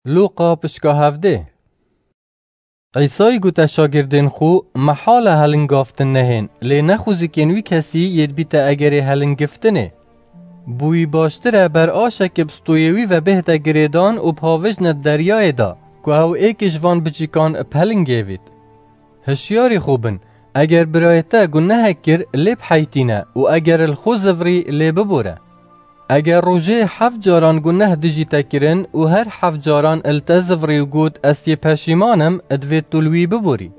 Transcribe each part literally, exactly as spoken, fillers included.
Lûqa pişka hevdê. Îsayî gote şagirdên xwe, mehal e helingavtin nehên, lê nexwizikên wî kesî yê dibîte egerê helingiftinê. Bi wî baştir e ber aşekê bi stoyê wî ve bihête girêdan û bihawêjne di deryayê de, ku ew êkê ji van biçîkan bi helingê vît. Hişyarî xwe bin, eger birayê te gunehek kir, lê biheytîne û eger li xwe zivirî, lê bibore. Eger rojê heft caran guneh dijî te kirin û her heft caran li te zivirî û got, "Ez yê peşîman im", divê tu li wî biborî.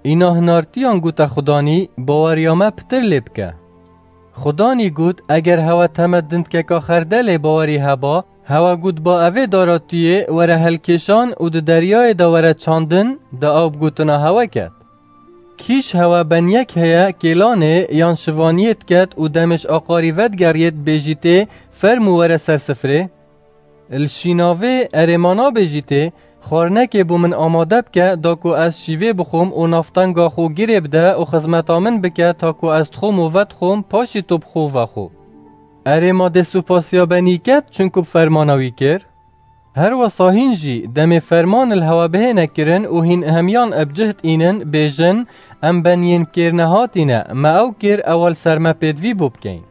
Îna hinartiyan gote Xudanî, "Baweriya me pitir lê bike." Xudanî got, "Eger hewe teme dindkeka xerdelê bawerî heba, hewe got ba evê dara tu yê were helkêşan û di deryayê de were çandin", da ew bi gotina hewe ket. Kî ji hewe benyek heye kêlanê yan şivaniyê diket û demê ji aqarî vedigeriyê dibêjîtê, "Fermû were ser sifrê"? Li şînavê erê ma nabêjîtê, "Xwarinekê bo min amade bike, da ku ez şîvê bixwim û navtenga xwe girê bide û xizmeta min bike, ta ku ez dixwim û vedixwim, paşî tu bixwe û vexwe"? Erê ma dê supasiya benî ket, çunku bi fermana wî kir? Her wesa hîn jî demê ferman li hewe bihêne kirin û hîn hemiyan bi cih dînin, bêjin, "Em beniyên kêr nehatî ne, me ew kir, ewa li ser me pêdivî bo bikeyn."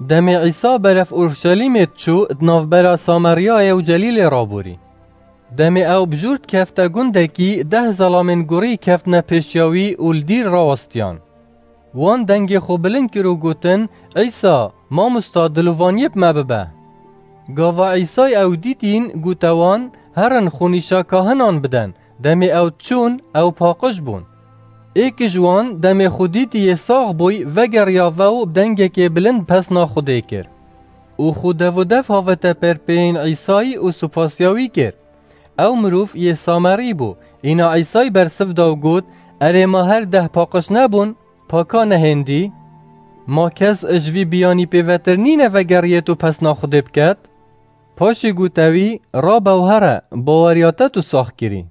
Demê Îsa beref Urşelîmê diçû, di navbera Sameryayê û Celîlê raborî. Demê ew bi jûr dikefte gundekî, deh zelamên gurî keftine pêşiya wî û li dîr rawestiyan. Wan dengê xwe bilind kir û gotin, "Îsa, mamosta, dilovaniyê bi me bibe." Gava Îsay ew dîtîn, gote wan, "Herin xwe nîşa kahinan biden." Demê ew diçûn, ew paqij bûn. Êk ji wan demê xwe dîtî yê sax bûy, vegeriya ve û bi dengekê bilind pesna Xwedê kir. Û xwe dev û dev havete perpeyên Îsayî û supasiya wî kir. Ew mirov yê Samerî bû. Îna Îsay bersiv da û got, "Erê ma her deh paqij nebûn? Paka nehêndî? Ma kes ji vî biyanî pêvetir nîne vegeriyêt û pesna Xwedê biket?" Paşî gote wî, "Rabe û here, baweriya te tu sax kirî."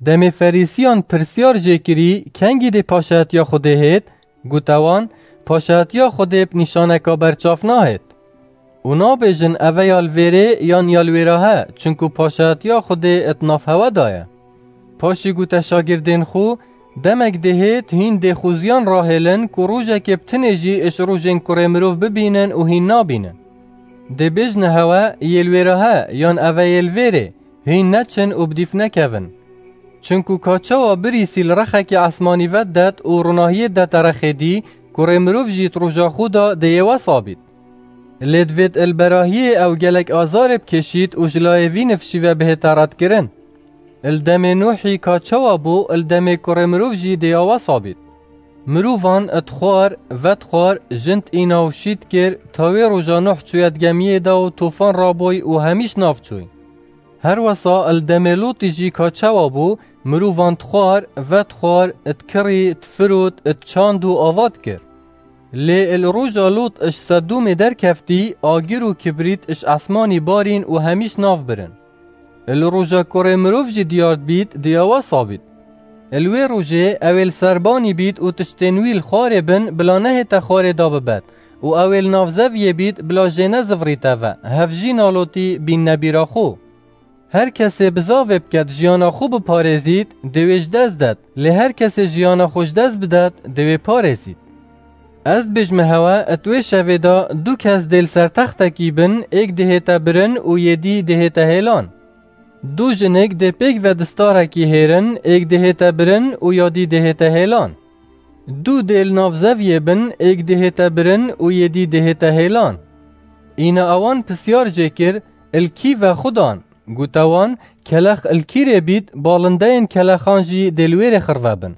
Demê Ferîsiyan pirsyar jê kirî, "Kengî dê paşayetiya Xwedê hêt?" Gote wan, "Paşayetiya Xwedê bi nîşaneka berçav nahêt. Û nabêjin, 'Eve ya li vêrê' yan 'Ya li wêra he', çunku paşayetiya Xwedê di nav hewe de ye." Paşî gote şagirdên xwe, "Demek dê hêt hîn dê xwe ziyan rahêlin ku rojekê bi tinê jî ji rojên kurê mirov bibînin û hîn nabînin. Dê bêjine hewe, 'Yê li wêra he' yan 'Eve yê li vêrê', hîn neçin û bi dîf nekevin. Çunku ka çawa birîsî li rexekî esmanî vedidet û ronahiyê didete rexê dî, kurê mirov jî di roja xwe de dê yê wesa bît. Lê divêt li berahiyê ew gelek azarê bikêşît û ji layê vî nifşî ve bihête redkirin. Li demê Nuhî ka çawa bû, li demê kurê mirov jî dê ya wesa bît. Mirovan di xwar, vedixwar, jin dîna û şî dikir, ta wê roja Nuh çûye di gemiyê de û tofan rabûy û hemî ji nav çûy. Her wesa li demê Lotî jî ka çawa bû, mirovan dixwar, vedixwar, dikirî, difirot, diçand û ava dikir. Lê li roja Lot ji Sedomê derkeftî, agir û kibrît ji esmanî barîn û hemî ji nav birin. Li roja kurê mirov jî diyar dibît, dê ya wesa bît. Li wê rojê ew ê li ser banî bît û tiştên wî li xwarê bin, bila nehête xwarê da bibet û ew ê li nav zeviyê bît, bila jê nezivirîte ve, hevjîna Lotî bînne bîra xwe. Her kesê bizavê biket jiyana xwe biparêzît, dê wê ji dest det, lê her kesê jiyana xwe ji dest bidet, dê wê parêzît. Ez dibêjime hewe, di wê şevê de du kes dê li ser textekî bin, êk dihête birin û yê dî dihête hêlan. Du jinik dê pêk ve di starekî hêrin, êk dihête birin û ya dî dihête hêlan. Du dê li nav zeviyê bin, êk dihête birin û yê dî dihête hêlan. Îna ewan pisyar jê kir, "Li kî ve xudan?" Gote wan, "Kelex li kîrê bît, balindeyên kelexan jî dê li wêrê xirve bin."